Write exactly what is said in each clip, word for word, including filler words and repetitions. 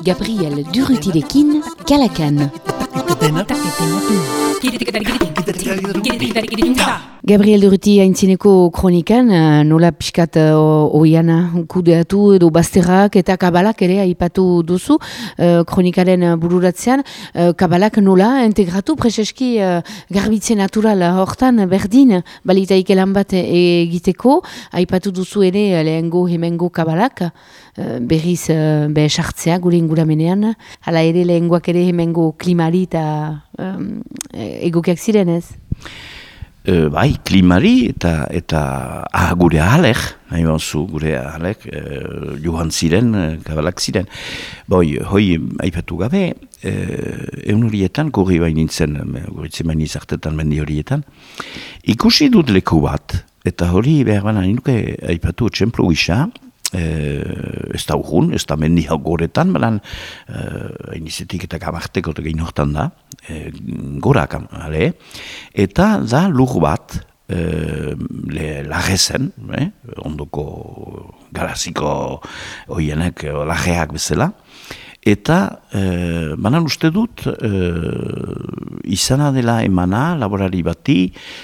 Gabriel Durrutirekin, Kalakan. Gabriel Durruti haintzineko kronikan, nola pixkat oiana kudeatu edo bazterrak eta kabalak ere aipatu duzu, kronikaren bururatzean, kabalak nola integratu preseski garbitzen natural hortan berdin, balitaik elan bat egiteko, aipatu duzu ere lehengo hemengo kabalak, berriz be sartzea gure inguramenean, hala ere lehengoak ere hemengo klimari eta um, egokiak ziren ez? Uh, bai, klimari eta eta ah, gure ahalek, nahi banzu gure ahalek, uh, johan ziren, uh, kabalak ziren. Boi, hoi aipatu gabe, uh, egun horietan, gorri bain nintzen, guritzen bain izartetan mendi horietan, ikusi dut leku bat, eta hori behar baina nuke aipatu txemplu gisa, Eh, ez da urgun, ez da mendi hau goretan, baina eh, inizetik eta gamarteko eta gehin hortan da, eh, gorak, ale, eta da lur bat, eh, lagezen, eh, ondoko garaziko oienek, lageak bezala, eta eh, banan uste dut eh, izana dela emana laborari bati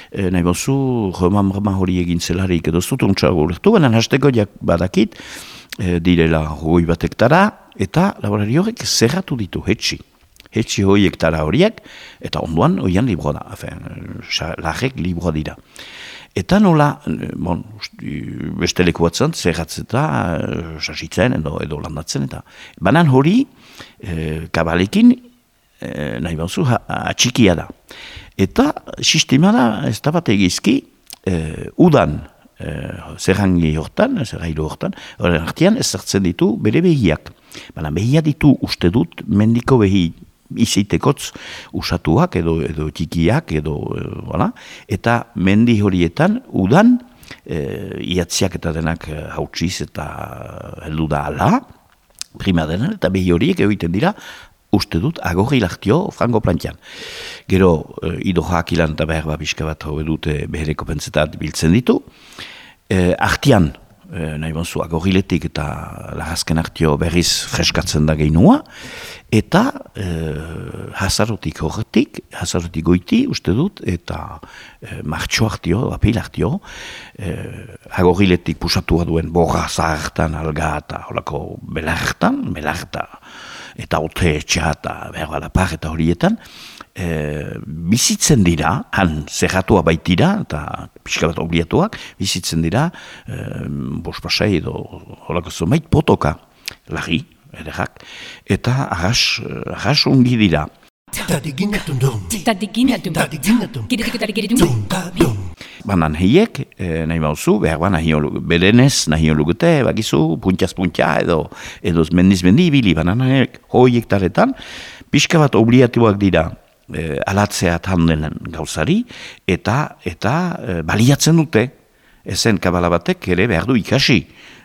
eh, nahi bozu roman hori egin zelarik edo zut untxago urtu, banan hasteko jak badakit eh, direla hoi bat hektara eta laborari horrek zerratu ditu hetxi. Hetxi hoi hektara horiek eta onduan hoian libroa da, lagek libroa dira. Eta nola, bon, beste leku batzan, zerratzeta, sasitzen edo, edo landatzen, eta banan hori, e, kabalekin, e, nahi bauzu, atxikia da. Eta sistema da, ez da bat egizki, e, udan, e, zerrangi hortan, zerrailu hortan, horren artian ezartzen ditu bere behiak. Baina behia ditu uste dut, mendiko behi, izitekotz usatuak edo edo txikiak edo voilà. Eta mendi horietan udan e, iatziak eta denak hautsiz eta heldu da ala primadenan eta behi horiek egiten dira uste dut agorri lahtio frango plantian. Gero e, idoak ilan eta behar babiska bat hau edute behereko pentsetat biltzen ditu. E, artian e, nahi bonzu agorriletik eta lagazken artio berriz freskatzen da geinua. Eta eh, hazarotik horretik, hazarotik goiti, uste dut, eta eh, martxo hartio, apil hartio, eh, agorriletik pusatua duen borra zahartan, alga eta horako belartan, belarta, eta ote etxea eta berbalapar eta horietan, eh, bizitzen dira, han zerratua baitira, eta pixka bat obliatuak, bizitzen dira, eh, bospasai edo horako zomait potoka, lagi, ederrak, eta arras, arras ongi dira. Banan heiek, eh, nahi bauzu, behar ba nahi berenez, nahi olugute, bakizu, puntiaz-puntia edo, edo mendiz-mendi ibili, banan heiek hoiek taretan, pixka bat obliatuak dira eh, alatzea tandelen gauzari, eta, eta eh, baliatzen dute, ezen kabala batek ere behar du ikasi.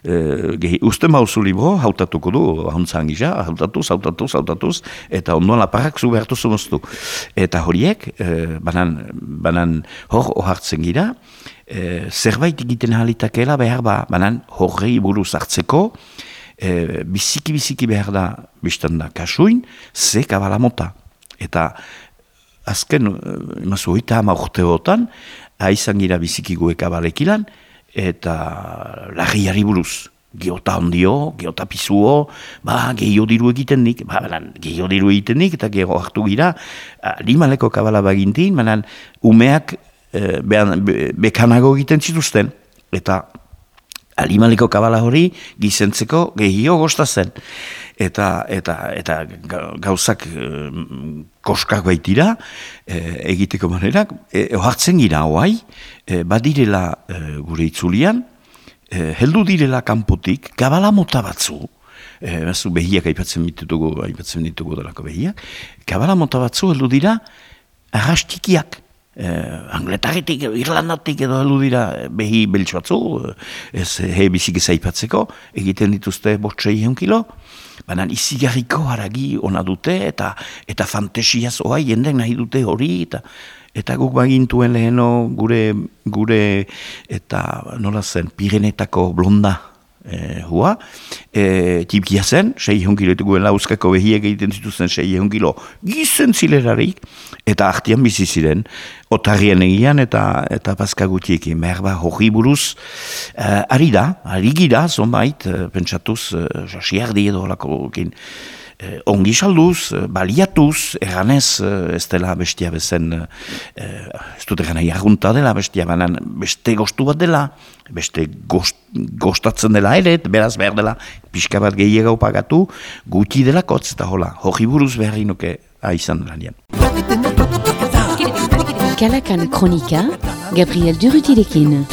Uh, uste mauzu libro, hautatuko du, hauntzan gisa, hautatuz, hautatuz, hautatuz, eta ondoan laparrak zu behartu zumoztu. Eta horiek, uh, banan, banan hor ohartzen gira, uh, zerbait egiten halitakela behar ba, banan horrei buruz hartzeko, uh, biziki-biziki behar da, biztan da, kasuin, ze kabala mota. Eta azken, uh, imazu, oita hama urteotan, haizan gira biziki gue kabalekilan, eta lagiari buruz, geota ondio, geota pizuo, ba, gehiago diru egiten nik, ba, gehiago diru egiten nik, eta gero hartu gira, limaleko kabala bagintin, manan, umeak e, behan, be, bekanago egiten zituzten, eta limaleko kabala hori gizentzeko gehiago gostazen. Eta, eta, eta gauzak e, koskak baitira, e, egiteko manerak, e, ohartzen gira hoai, e, badirela e, gure itzulian, e, heldu direla kanpotik, kabala mota batzu, e, bazu behiak aipatzen ditugu, aipatzen ditugu delako behiak, kabala mota batzu heldu dira arrastikiak. Eh, Angletaretik, Irlandatik edo heldu dira behi beltsu batzu, ez he bizik ez aipatzeko, egiten dituzte bostsei eun kilo, baina izigarriko haragi ona dute, eta eta fantesiaz oa jendek nahi dute hori, eta eta guk bagintuen leheno gure, gure eta nola zen, Pirenetako blonda, E, hua, e, tipikia zen, sei kilo guen lauskako behiek egiten zituzen sei kilo gizen zilerarik, eta artian bizi ziren, otarrien egian eta eta paska gutiekin, merba hori buruz, e, ari da, ari gira, zonbait, e, pentsatuz, e, jasiardi edo holakokin, Eh, ongi salduz, baliatuz, erganez, ez dela bestia bezen, eh, ez dut egana jarrunta dela bestia, banan beste gostu bat dela, beste gost, gostatzen dela ere, beraz behar dela, pixka bat gehiago pagatu, guti dela kotz, eta hola, hori buruz behar inoke aizan dela nian. Kalakan Kronika, Gabriel Durrutirekin.